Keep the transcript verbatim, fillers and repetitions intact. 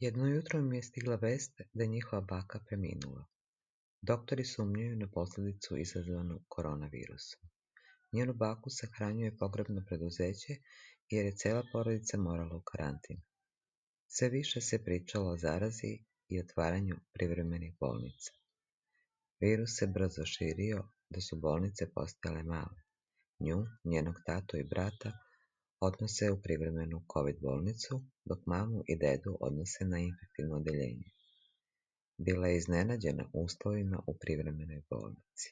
Jedno jutro mi je stigla vest da je njihova baka preminula. Doktori sumnjaju na posljedicu izazvanu koronavirusom. Njenu baku sahranjuje pogrebno preduzeće jer je cela porodica morala u karantin. Sve više se pričalo o zarazi i otvaranju privremenih bolnica. Virus se brzo širio da su bolnice postajale male. Nju, njenog tatu i brata odnose u privremenu COVID bolnicu, dok mamu i dedu odnose na infektivno odeljenje. Bila je iznenađena uslovima u privremenoj bolnici.